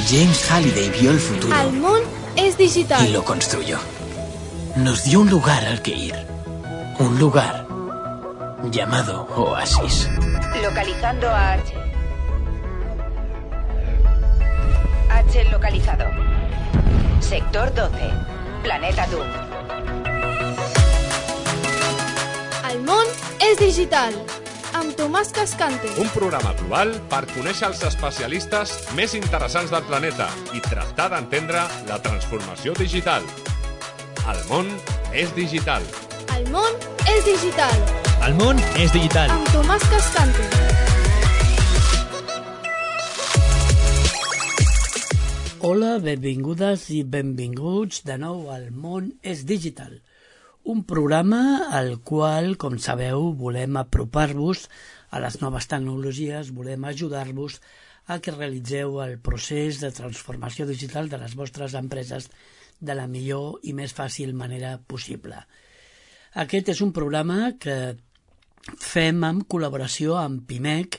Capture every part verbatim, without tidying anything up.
James Halliday vio el futuro. El món es digital. Y lo construyó. Nos dio un lugar al que ir. Un lugar llamado Oasis. Localizando a H. H localizado. Sector doce. Planeta Doom. El món és digital. Amb Tomàs Cascante. Un programa global per conèixer els especialistes més interessants del planeta i tractar d'entendre la transformació digital. El món és digital. El món és digital. El món és digital. Amb Tomàs Cascante. Hola, benvingudes i benvinguts de nou al món és digital. Un programa al qual, com sabeu, volem apropar-vos a les noves tecnologies, volem ajudar-vos a que realitzeu el procés de transformació digital de les vostres empreses de la millor i més fàcil manera possible. Aquest és un programa que fem en col·laboració amb PIMEC,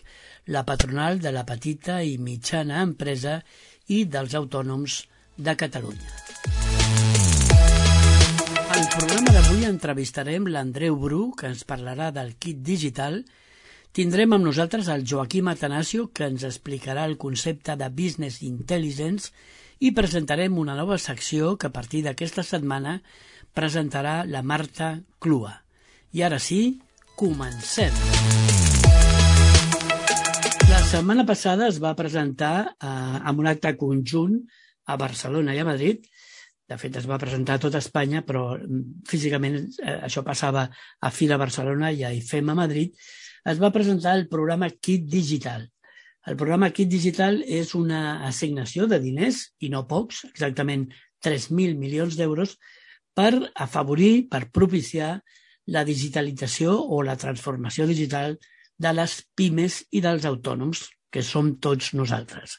la patronal de la petita i mitjana empresa i dels autònoms de Catalunya. Al programa d'avui entrevistarem l'Andreu Bru, que ens parlarà del kit digital. Tindrem amb nosaltres el Joaquim Atanasio, que ens explicarà el concepte de Business Intelligence, i presentarem una nova secció que a partir d'aquesta setmana presentarà la Marta Clua. I ara sí, comencem! La setmana passada es va presentar eh, en un acte conjunt a Barcelona i a Madrid. De fet, es va presentar a tot Espanya, però físicament eh, això passava a Fira Barcelona i a I F E M a Madrid. Es va presentar el programa Kit Digital. El programa Kit Digital és una assignació de diners, i no pocs, exactament tres mil milions d'euros, per afavorir, per propiciar la digitalització o la transformació digital de les pimes i dels autònoms, que som tots nosaltres.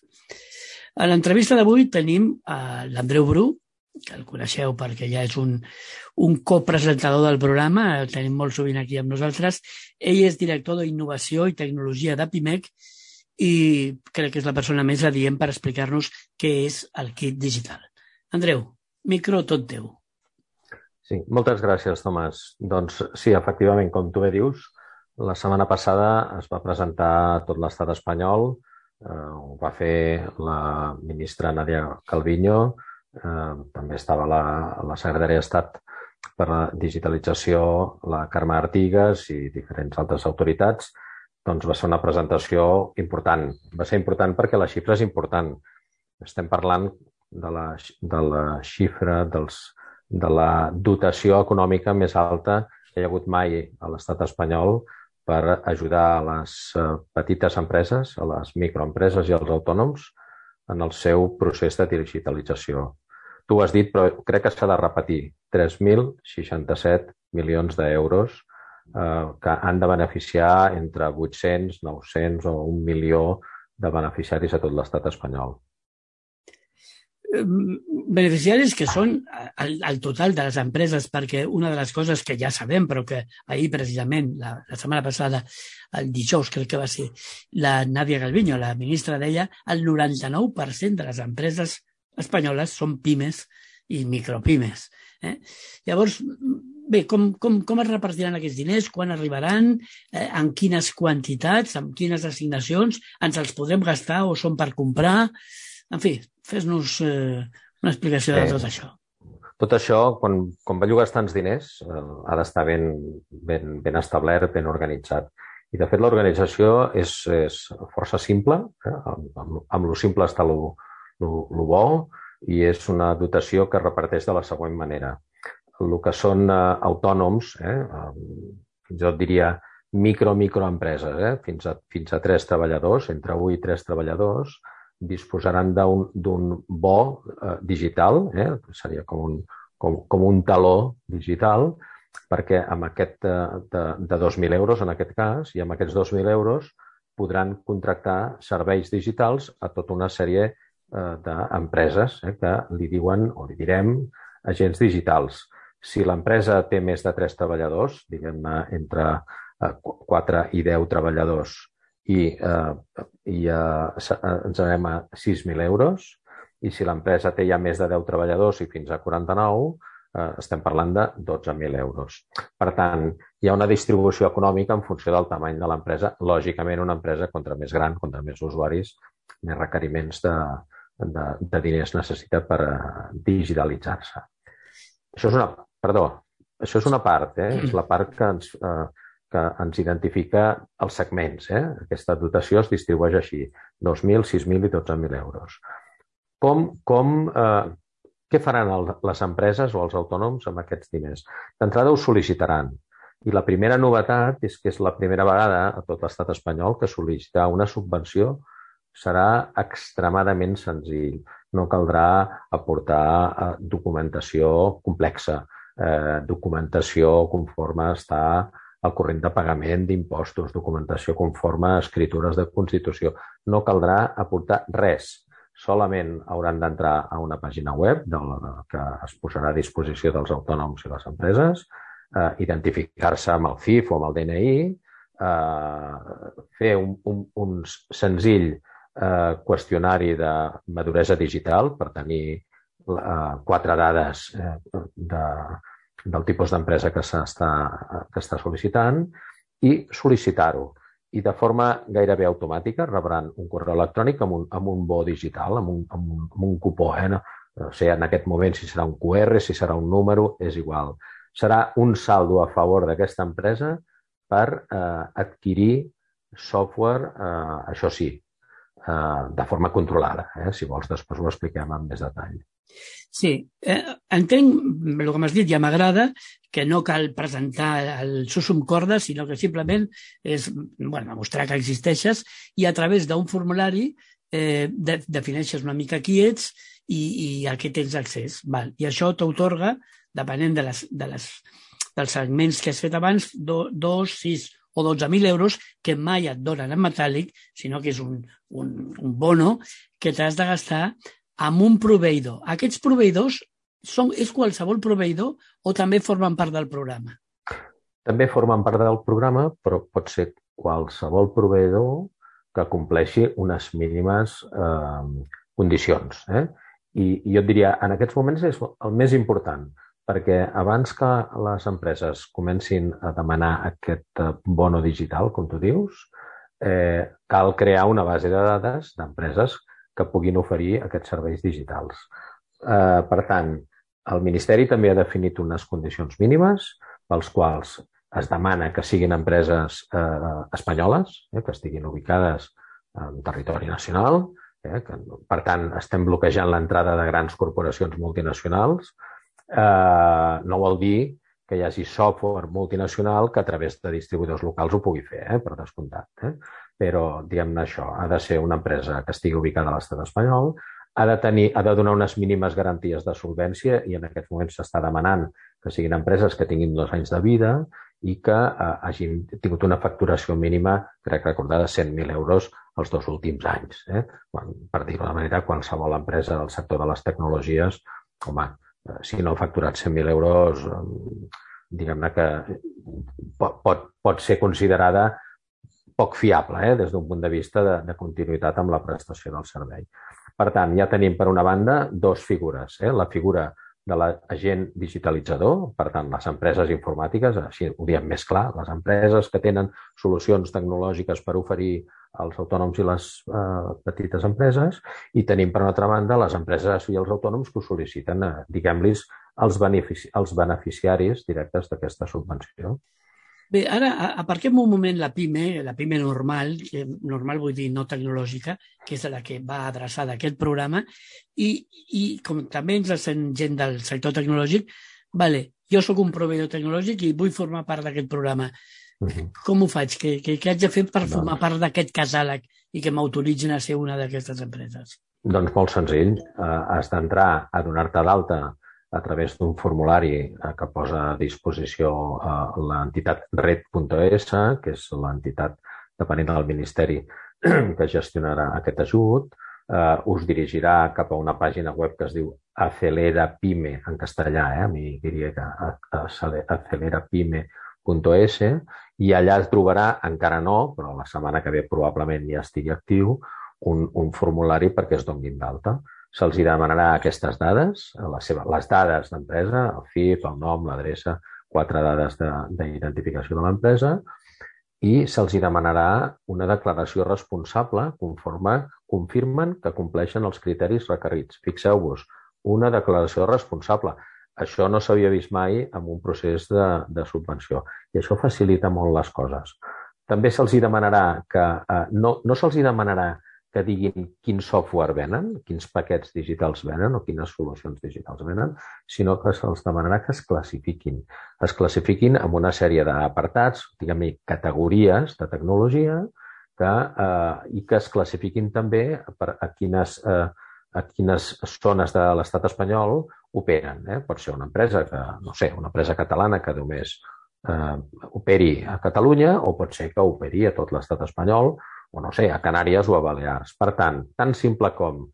A l'entrevista d'avui tenim eh, l'Andreu Bru, que el coneixeu perquè ja és un, un copresentador del programa, el tenim molt sovint aquí amb nosaltres. Ell és director d'innovació i tecnologia de PIMEC i crec que és la persona més adient per explicar-nos què és el kit digital. Andreu, micro tot teu. Sí, moltes gràcies, Tomàs. Doncs sí, efectivament, com tu bé dius, la setmana passada es va presentar a tot l'estat espanyol, eh, ho va fer la ministra Nadia Calviño, eh, també estava la, la secretària d'Estat per la digitalització, la Carme Artigas i diferents altres autoritats. Doncs va ser una presentació important. Va ser important perquè la xifra és important. Estem parlant de la, de la xifra dels, de la dotació econòmica més alta que hi ha hagut mai a l'estat espanyol per ajudar a les petites empreses, a les microempreses i als autònoms en el seu procés de digitalització. Tu ho has dit, però crec que s'ha de repetir. tres mil seixanta-set milions d'euros eh, que han de beneficiar entre vuit-cents, nou-cents o un milió de beneficiaris a tot l'estat espanyol. Beneficiaris que són el, el total de les empreses, perquè una de les coses que ja sabem, però que ahir precisament, la, la setmana passada, el dijous crec que va ser, la Nadia Calviño, la ministra, deia el noranta-nou per cent de les empreses espanyoles són pimes i micropimes. Eh? Llavors, bé, com, com, com es repartiran aquests diners, quan arribaran, eh, en quines quantitats, en quines assignacions, ens els podrem gastar o són per comprar? En fi, fes-nos eh, una explicació de tot això. Tot això, quan, quan bellugues tants diners, eh, ha d'estar ben, ben, ben establert, ben organitzat. I, de fet, l'organització és, és força simple, eh? amb, amb, amb lo simple està lo, lo, lo bo, i és una dotació que es reparteix de la següent manera. El que són eh, autònoms, eh? fins i tot diria micro-microempreses, eh? fins, a, fins a tres treballadors, entre un i tres treballadors, disposaran d'un bo eh, digital, eh? seria com un, com, com un taló digital, perquè amb aquest eh, de, de dos mil euros, en aquest cas, i amb aquests dos mil euros podran contractar serveis digitals a tota una sèrie eh, d'empreses eh, que li diuen, o li direm, agents digitals. Si l'empresa té més de tres treballadors, diguem-ne entre eh, quatre i deu treballadors, i, eh, i eh, ens anem a sis mil euros. i si l'empresa té ja més de deu treballadors i fins a quaranta-nou, eh, estem parlant de dotze mil euros. Per tant, hi ha una distribució econòmica en funció del tamany de l'empresa. Lògicament, una empresa, contra més gran, contra més usuaris, més requeriments de, de, de diners necessita per digitalitzar-se. Això és una, perdó, això és una part, eh? És la part que ens, eh, que ens identifica els segments. Eh? Aquesta dotació es distribueix així, dos mil, sis mil i dotze mil euros. Com, com, eh, què faran el, les empreses o els autònoms amb aquests diners? D'entrada ho sol·licitaran. I la primera novetat és que és la primera vegada a tot l'estat espanyol que sol·licitar una subvenció serà extremadament senzill. No caldrà aportar eh, documentació complexa, eh, documentació conforme està al corrent de pagament d'impostos, documentació conforme a escritures de Constitució. No caldrà aportar res. Solament hauran d'entrar a una pàgina web que es posarà a disposició dels autònoms i les empreses, eh, identificar-se amb el C I F o amb el D N I, eh, fer un, un, un senzill eh, qüestionari de maduresa digital per tenir eh, quatre dades eh, de, del tipus d'empresa que s'està que està sol·licitant i sol·licitar-ho. I de forma gairebé automàtica rebran un correu electrònic amb un, amb un bo digital, amb un, amb un, amb un cupó. Eh? No, no sé en aquest moment si serà un Q R, si serà un número, és igual. Serà un saldo a favor d'aquesta empresa per eh, adquirir software, eh, això sí, eh, de forma controlada. Eh? Si vols, després ho expliquem amb més detall. Sí, eh, entenc el que m'has dit, ja m'agrada, que no cal presentar el susum corda, sinó que simplement és bueno, mostrar que existeixes i a través d'un formulari eh, de, defineixes una mica qui ets i, i a què tens accés. Val. I això t'atorga, depenent de les, de les, dels segments que has fet abans, do, dos, sis o dotze mil euros que mai et donen en metàl·lic, sinó que és un, un, un bono que t'has de gastar amb un proveïdor. Aquests proveïdors són, és qualsevol proveïdor o també formen part del programa? També formen part del programa, però pot ser qualsevol proveïdor que compleixi unes mínimes eh, condicions. Eh? I, I jo et diria, en aquests moments és el més important, perquè abans que les empreses comencin a demanar aquest bono digital, com tu dius, eh, cal crear una base de dades d'empreses que puguin oferir aquests serveis digitals. Eh, per tant, el Ministeri també ha definit unes condicions mínimes pels quals es demana que siguin empreses eh, espanyoles, eh, que estiguin ubicades en territori nacional. Eh, que, per tant, estem bloquejant l'entrada de grans corporacions multinacionals. Eh, no vol dir que hi hagi software multinacional que a través de distribuïdors locals ho pugui fer, eh, per descomptat. Eh? Però, diguem-ne això, ha de ser una empresa que estigui ubicada a l'estat espanyol, ha de, tenir, ha de donar unes mínimes garanties de solvència i en aquests moments s'està demanant que siguin empreses que tinguin dos anys de vida i que eh, hagin tingut una facturació mínima, crec recordar, de cent mil euros els dos últims anys. Eh? Quan, per dir-ho de manera, qualsevol empresa del sector de les tecnologies, home, eh, si no ha facturat cent mil euros, eh, diguem-ne que pot, pot, pot ser considerada poc fiable, eh, des d'un punt de vista de, de continuïtat amb la prestació del servei. Per tant, ja tenim per una banda dos figures. Eh? La figura de l'agent digitalitzador, per tant, les empreses informàtiques, així ho diem més clar, les empreses que tenen solucions tecnològiques per oferir als autònoms i les eh, petites empreses, i tenim per una altra banda les empreses i els autònoms que ho sol·liciten, eh, diguem-los, els, benefici els beneficiaris directes d'aquesta subvenció. Bé, ara aparquem un moment la PIME, la PIME normal, que normal vull dir no tecnològica, que és la que va adreçada a aquest programa, i, i com també ens sent gent del sector tecnològic, vale, jo sóc un proveïdor tecnològic i vull formar part d'aquest programa. Uh-huh. Com ho faig? Què, què, què haig de fer per doncs... formar part d'aquest catàleg i que m'autoritzin a ser una d'aquestes empreses? Doncs molt senzill. Uh, has d'entrar a donar-te d'alta a través d'un formulari que posa a disposició l'entitat red punt es, que és l'entitat depenent del Ministeri que gestionarà aquest ajut. Eh, us dirigirà cap a una pàgina web que es diu Acelera Pyme, en castellà, eh, amb Y, acelera pyme punt es, i allà es trobarà, encara no, però la setmana que ve probablement ja estigui actiu, un, un formulari perquè es donin d'alta. se'ls demanarà aquestes dades, les, seves, les dades d'empresa, el F I P, el nom, l'adreça, quatre dades d'identificació de l'empresa, i se'ls demanarà una declaració responsable conforme confirmen que compleixen els criteris requerits. Fixeu-vos, una declaració responsable. Això no s'havia vist mai en un procés de, de subvenció i això facilita molt les coses. També se'ls demanarà que, eh, no, no se'ls demanarà que diguin quin software venen, quins paquets digitals venen o quines solucions digitals venen, sinó que se'ls demanarà que es classifiquin. Es classifiquin amb una sèrie d'apartats, diguem-ne, categories de tecnologia que, eh, i que es classifiquin també per a quines, eh, a quines zones de l'estat espanyol operen. Eh? Pot ser una empresa que, no sé, una empresa catalana que només eh, operi a Catalunya o pot ser que operi a tot l'estat espanyol o, no sé, a Canàries o a Balears. Per tant, tan simple com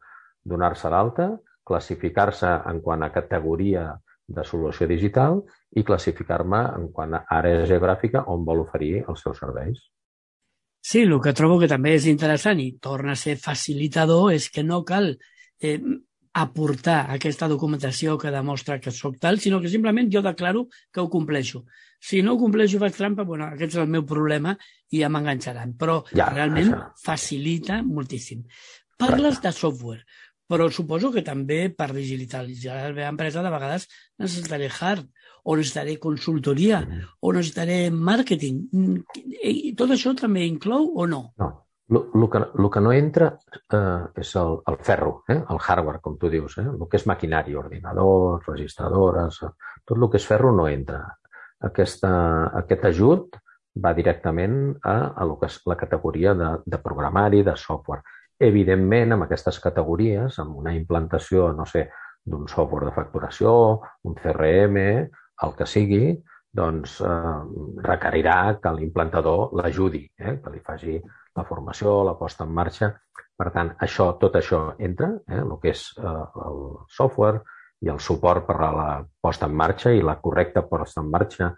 donar-se d'alta, classificar-se en quant a categoria de solució digital i classificar-me en quant a àrea geogràfica on vol oferir els seus serveis. Sí, el que trobo que també és interessant i torna a ser facilitador és que no cal eh, aportar aquesta documentació que demostra que soc tal, sinó que simplement jo declaro que ho compleixo. Si no ho compleixo i faig trampa, bueno, aquest és el meu problema i ja m'enganxaran. Però ja, realment això facilita moltíssim. Parles Correcte. de software, però suposo que també per digitalitzar la meva empresa de vegades necessitaré hard, o necessitaré consultoria, mm. o necessitaré màrqueting. I tot això també inclou o no? No. El que, lo que no entra eh, és el, el ferro, eh? el hardware, com tu dius. Eh? El que és maquinari, ordinadors, registradores, tot el que és ferro no entra. Aquesta, aquest ajut va directament a, a lo que és la categoria de, de programari, de software. Evidentment, amb aquestes categories, amb una implantació, no sé, d'un software de facturació, un C R M, el que sigui, doncs eh, requerirà que l'implantador l'ajudi, eh? que li faci la formació, la posta en marxa. Per tant, això, tot això entra, eh? el que és eh, el software i el suport per a la posta en marxa i la correcta posta en marxa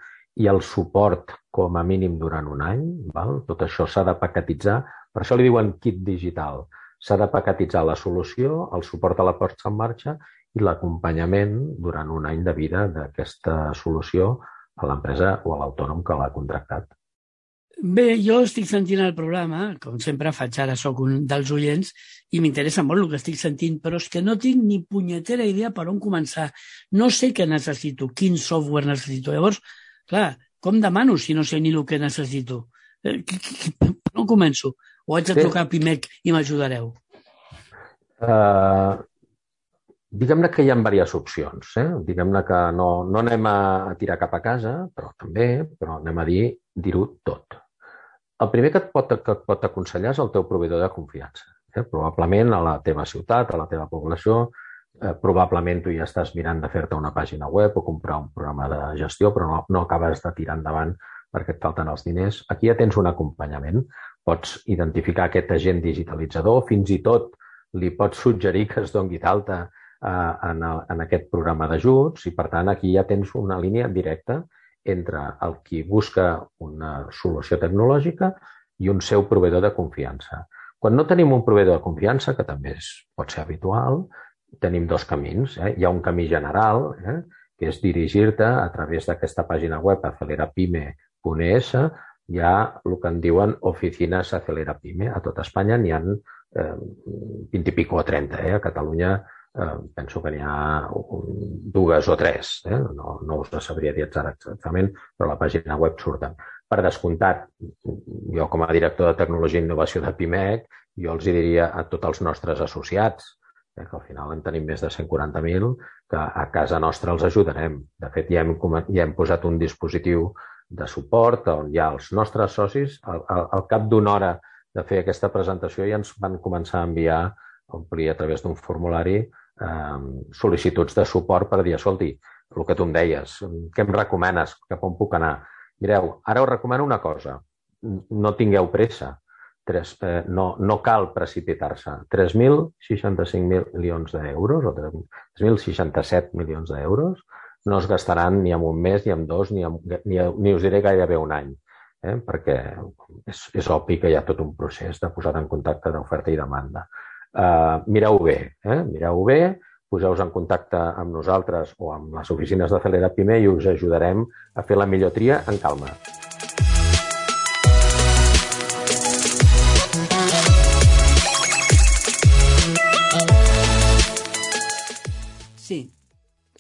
i el suport com a mínim durant un any. Val? Tot això s'ha de paquetitzar. Per això li diuen kit digital. S'ha de paquetitzar la solució, el suport a la posta en marxa i l'acompanyament durant un any de vida d'aquesta solució a l'empresa o a l'autònom que l'ha contractat. Bé, jo estic sentint el programa, com sempre faig ara, soc un dels oients, i m'interessa molt el que estic sentint, però és que no tinc ni punyetera idea per on començar. No sé què necessito, quin software necessito. Llavors, clar, com demano si no sé ni el que necessito? Per on començo? O haig de trucar a Pimec i m'ajudareu? Uh, diguem-ne que hi ha diverses opcions. Eh? Diguem-ne que no, no anem a tirar cap a casa, però també, però anem a dir, dir-ho tot. El primer que et pot, que et pot aconsellar és el teu proveïdor de confiança. Eh? Probablement a la teva ciutat, a la teva població, eh, probablement tu ja estàs mirant de fer-te una pàgina web o comprar un programa de gestió, però no, no acabes de tirar endavant perquè et falten els diners. Aquí ja tens un acompanyament. Pots identificar aquest agent digitalitzador, fins i tot li pots suggerir que es doni d'alta eh, en, en aquest programa d'ajuts i, per tant, aquí ja tens una línia directa entre el qui busca una solució tecnològica i un seu proveïdor de confiança. Quan no tenim un proveïdor de confiança, que també és, pot ser habitual, tenim dos camins. Eh? Hi ha un camí general, eh? que és dirigir-te a través d'aquesta pàgina web acelerapyme punt es. Hi ha el que en diuen oficines Acelerapyme. A tot Espanya n'hi ha eh, vint i pico o trenta. Eh? A Catalunya Eh, penso que n'hi ha un, dues o tres, eh? no, no us sabria dir exactament, però a la pàgina web surten. Per descomptat, jo com a director de Tecnologia i Innovació de Pimec, jo els diria a tots els nostres associats, eh, que al final en tenim més de cent quaranta mil, que a casa nostra els ajudarem. De fet, ja hem, ja hem posat un dispositiu de suport on hi ha els nostres socis. Al, al, al cap d'una hora de fer aquesta presentació ja ens van començar a enviar, a omplir a través d'un formulari, Eh, sol·licituds de suport per dir, escolti, el que tu em deies, què em recomanes, cap on puc anar? Mireu, ara us recomano una cosa, no tingueu pressa, tres, eh, no, no cal precipitar-se. tres mil seixanta-cinc milions d'euros o tres mil seixanta-set milions d'euros no es gastaran ni en un mes, ni en dos, ni, en, ni, ni us diré gairebé un any, eh? perquè és, és obvi que hi ha tot un procés de posar en contacte d'oferta i demanda. Uh, mireu bé, eh? mireu bé, poseu-vos en contacte amb nosaltres o amb les oficines de Celera Pime i us ajudarem a fer la millor tria en calma. Sí.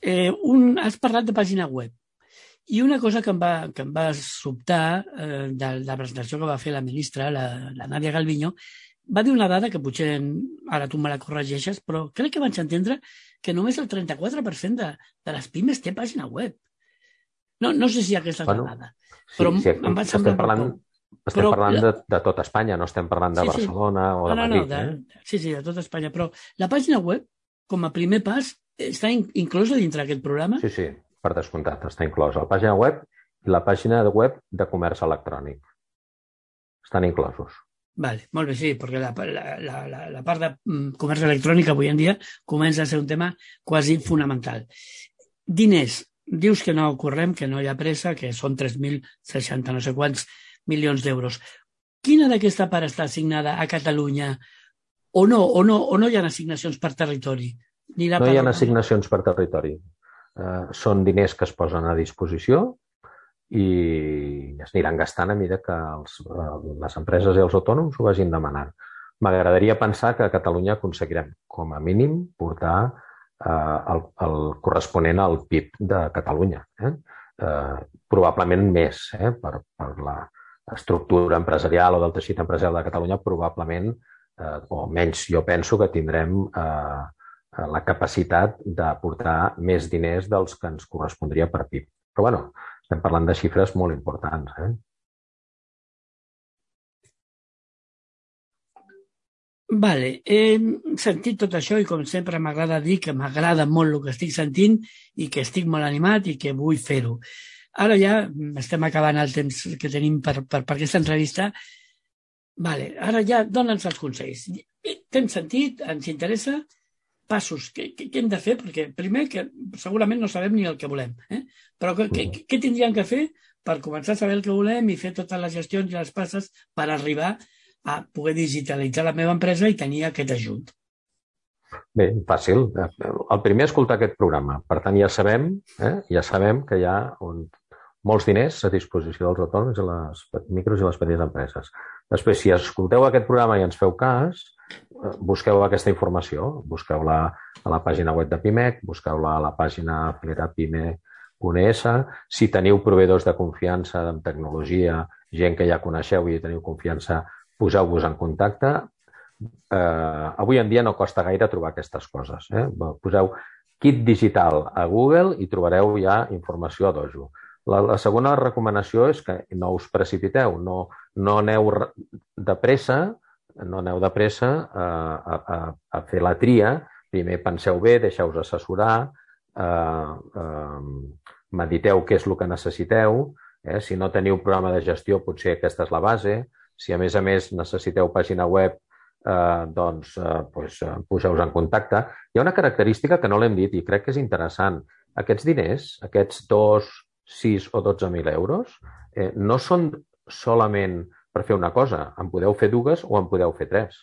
Eh, un, has parlat de pàgina web. I una cosa que em va, que em va sobtar eh, de la presentació que va fer la ministra, la, la Nadia Calviño, va dir una dada que potser ara tu me la corregeixes, però crec que vaig entendre que només el trenta-quatre per cent de, de les pimes té pàgina web. No, no sé si aquesta és bueno, la dada, sí, però sí, em va semblar... Estem parlant, estem però, parlant de, de tot Espanya, no estem parlant de sí, Barcelona sí. o de no, no, Madrid. No, de, eh? sí, sí, de tot Espanya, però la pàgina web, com a primer pas, està in, inclosa dintre d'aquest programa? Sí, sí, per descomptat, està inclosa. La pàgina web i la pàgina web de comerç electrònic. Estan inclosos. Vale, molt bé, sí, perquè la, la, la, la part de comerç electrònic avui en dia comença a ser un tema quasi fonamental. Diners, dius que no correm, que no hi ha pressa, que són tres mil seixanta no sé quants milions d'euros. Quina d'aquesta part està assignada a Catalunya o no, o no, o no hi ha assignacions per territori? Ni no hi ha assignacions per territori. Uh, són diners que es posen a disposició i es aniran gastant a mesura que els, les empreses i els autònoms ho vagin demanant. M'agradaria pensar que a Catalunya aconseguirem, com a mínim, portar eh, el, el corresponent al P I B de Catalunya. Eh? Eh, probablement més, eh? per, per l'estructura empresarial o del teixit empresarial de Catalunya, probablement, eh, o menys jo penso que tindrem eh, la capacitat d'aportar més diners dels que ens correspondria per P I B. Però, bueno, estem parlant de xifres molt importants. Eh? Vale, he sentit tot això i com sempre m'agrada dir que m'agrada molt el que estic sentint i que estic molt animat i que vull fer-ho. Ara ja estem acabant el temps que tenim per, per, per aquesta entrevista. Vale, ara ja dona'ns els consells. T'hem sentit, ens interessa... passos, què, què hem de fer? Perquè primer, que segurament no sabem ni el que volem, eh? Però què, què, què tindríem que fer per començar a saber el que volem i fer totes les gestions i les passes per arribar a poder digitalitzar la meva empresa i tenir aquest ajut? Bé, fàcil. El primer, escoltar aquest programa. Per tant, ja sabem, eh? ja sabem que hi ha un, molts diners a disposició dels autònoms i les micros i les petites empreses. Després, si escolteu aquest programa i ens feu cas, busqueu aquesta informació, busqueu-la a la pàgina web de Pimec, busqueu-la a la pàgina celera pime punt es. Si teniu proveïdors de confiança en tecnologia, gent que ja coneixeu i teniu confiança, poseu-vos en contacte. Eh, avui en dia no costa gaire trobar aquestes coses. Eh? Poseu kit digital a Google i trobareu ja informació a dojo. La, la segona recomanació és que no us precipiteu, no, no aneu de pressa, no aneu de pressa a, a, a fer la tria. Primer penseu bé, deixeu-vos assessorar, eh, eh, mediteu què és el que necessiteu. Eh? Si no teniu programa de gestió, potser aquesta és la base. Si a més a més necessiteu pàgina web, eh, doncs, eh, doncs poseu-vos en contacte. Hi ha una característica que no l'hem dit i crec que és interessant. Aquests diners, aquests dos, sis o dotze mil euros, eh, no són solament per fer una cosa. En podeu fer dues o en podeu fer tres.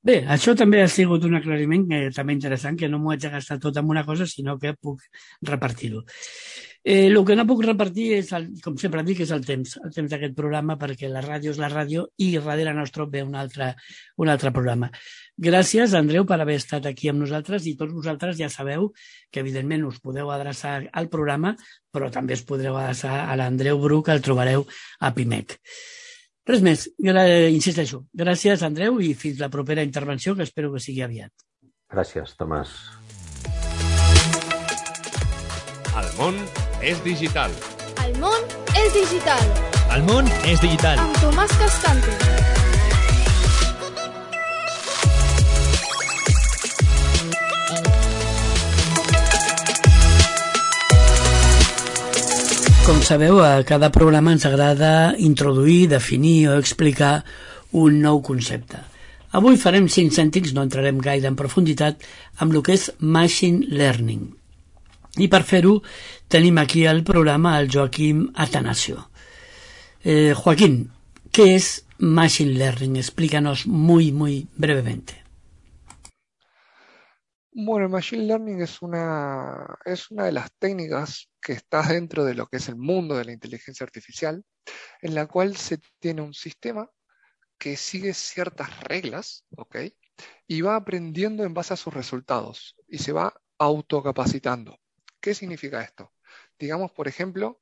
Bé, això també ha sigut un aclariment que també interessant, que no m'ho haig de gastar tot en una cosa, sinó que puc repartir-ho. Eh, el que no puc repartir, és el, com sempre dic, és el temps, el temps d'aquest programa, perquè la ràdio és la ràdio i darrere nostre ve un altre, un altre programa. Gràcies, Andreu, per haver estat aquí amb nosaltres i tots vosaltres ja sabeu que, evidentment, us podeu adreçar al programa, però també us podreu adreçar a l'Andreu Bru, que el trobareu a Pimec. Res més, insisteixo. Gràcies, Andreu, i fins la propera intervenció, que espero que sigui aviat. Gràcies, Tomàs. El món és digital. El món és digital. El món és digital. Amb Tomàs Castante. Com sabeu, a cada programa ens agrada introduir, definir o explicar un nou concepte. Avui farem cinc cèntims, no entrarem gaire en profunditat, amb el que és Machine Learning. I per fer-ho tenim aquí al programa el Joaquim Atanasio. Eh, Joaquín, ¿qué es Machine Learning? Explícanos muy, muy brevemente. Bueno, el Machine Learning es una, es una de las técnicas que está dentro de lo que es el mundo de la inteligencia artificial, en la cual se tiene un sistema que sigue ciertas reglas, ¿ok? Y va aprendiendo en base a sus resultados y se va autocapacitando. ¿Qué significa esto? Digamos, por ejemplo,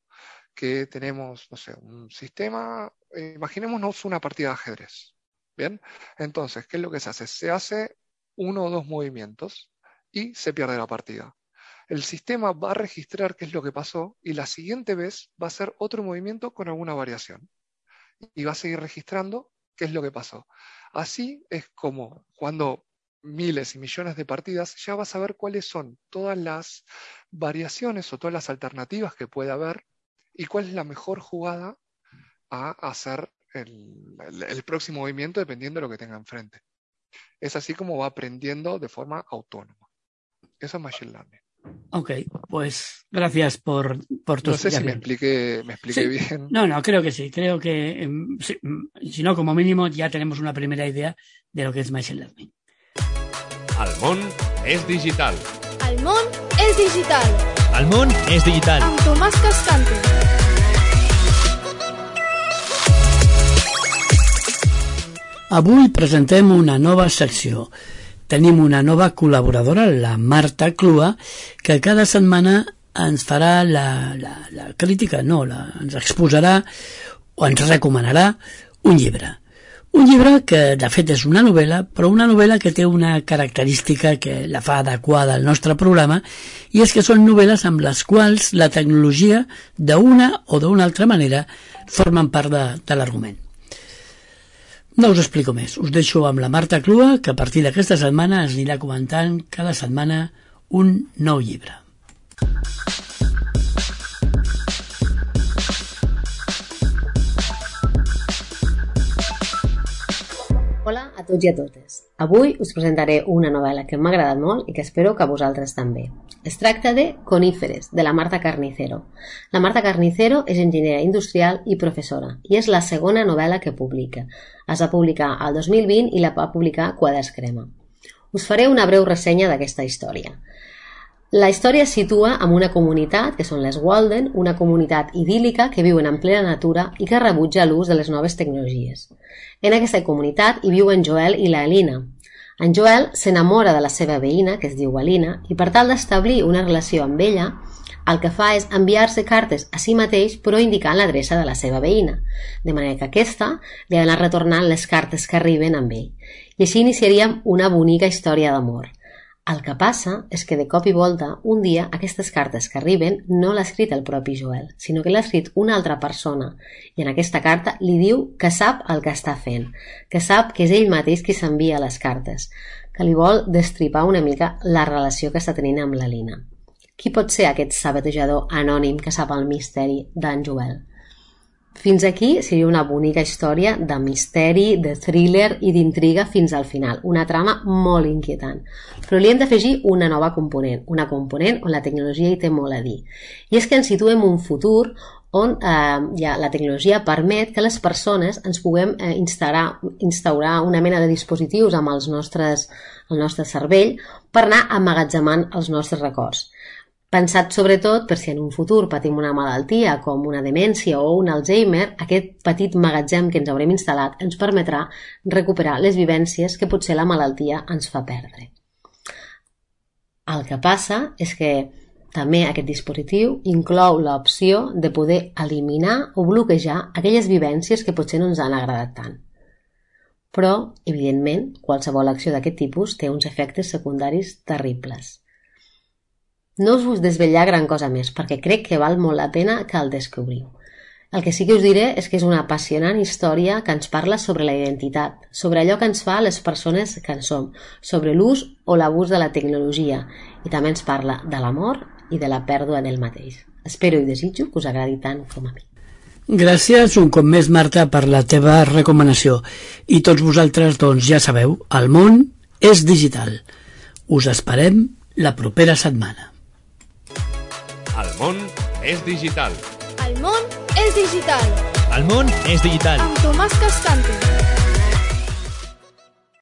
que tenemos, no sé, un sistema, eh, imaginémonos una partida de ajedrez, ¿bien? Entonces, ¿qué es lo que se hace? Se hace uno o dos movimientos y se pierde la partida. El sistema va a registrar qué es lo que pasó y la siguiente vez va a hacer otro movimiento con alguna variación. Y va a seguir registrando qué es lo que pasó. Así es como cuando miles y millones de partidas ya vas a ver cuáles son todas las variaciones o todas las alternativas que puede haber y cuál es la mejor jugada a hacer el, el, el próximo movimiento dependiendo de lo que tenga enfrente. Es así como va aprendiendo de forma autónoma. Eso es Machine Learning. Ok, pues gracias por, por tu No sé si me expliqué, me expliqué sí. bien. No, no, creo que sí. Creo que, si, si no, como mínimo, ya tenemos una primera idea de lo que es Machine Learning. El món és digital. El món és digital. El món és digital. Amb Tomàs Cascante. Avui presentem una nova secció. Tenim una nova col·laboradora, la Marta Clua, que cada setmana ens farà la, la, la crítica, no, la, ens exposarà o ens recomanarà un llibre. Un llibre que, de fet, és una novel·la, però una novel·la que té una característica que la fa adequada al nostre programa, i és que són novel·les amb les quals la tecnologia, d'una o d'una altra manera, formen part de, de l'argument. No us explico més. Us deixo amb la Marta Clua, que a partir d'aquesta setmana ens anirà comentant cada setmana un nou llibre. Hola a tots i a totes. Avui us presentaré una novel·la que m'ha agradat molt i que espero que a vosaltres també. Es tracta de Coníferes, de la Marta Carnicero. La Marta Carnicero és enginyera industrial i professora i és la segona novel·la que publica. Es va publicar al dos mil vint i la va publicar Quaders Crema. Us faré una breu ressenya d'aquesta història. La història es situa en una comunitat, que són les Walden, una comunitat idíl·lica que viuen en plena natura i que rebutja l'ús de les noves tecnologies. En aquesta comunitat hi viuen Joel i la Alina. En Joel s'enamora de la seva veïna, que es diu Alina, i per tal d'establir una relació amb ella, el que fa és enviar-se cartes a si mateix però indicant l'adreça de la seva veïna, de manera que aquesta li ha d'anar retornant les cartes que arriben amb ell. I així iniciaríem una bonica història d'amor. El que passa és que de cop i volta, un dia, aquestes cartes que arriben no l'ha escrit el propi Joel, sinó que l'ha escrit una altra persona, i en aquesta carta li diu que sap el que està fent, que sap que és ell mateix qui s'envia les cartes, que li vol destripar una mica la relació que està tenint amb la Lina. Qui pot ser aquest sabatejador anònim que sap el misteri d'en Joel? Fins aquí seria una bonica història de misteri, de thriller i d'intriga fins al final, una trama molt inquietant. Però li hem d'afegir una nova component, una component on la tecnologia hi té molt a dir. I és que ens situem un futur on eh, ja, la tecnologia permet que les persones ens puguem eh, instaurar, instaurar una mena de dispositius amb els nostres, el nostre cervell per anar emmagatzemant els nostres records. Pensat sobretot per si en un futur patim una malaltia com una demència o un Alzheimer, aquest petit magatzem que ens haurem instal·lat ens permetrà recuperar les vivències que potser la malaltia ens fa perdre. El que passa és que també aquest dispositiu inclou l'opció de poder eliminar o bloquejar aquelles vivències que potser no ens han agradat tant. Però, evidentment, qualsevol acció d'aquest tipus té uns efectes secundaris terribles. No us vull desvetllar gran cosa més, perquè crec que val molt la pena que el descobriu. El que sí que us diré és que és una apassionant història que ens parla sobre la identitat, sobre allò que ens fa les persones que en som, sobre l'ús o l'abús de la tecnologia, i també ens parla de l'amor i de la pèrdua del mateix. Espero i desitjo que us agradi tant com a mi. Gràcies un cop més, Marta, per la teva recomanació. I tots vosaltres, doncs, ja sabeu, el món és digital. Us esperem la propera setmana. El món és digital. El món és digital. El món és digital. Amb Tomàs Cascante.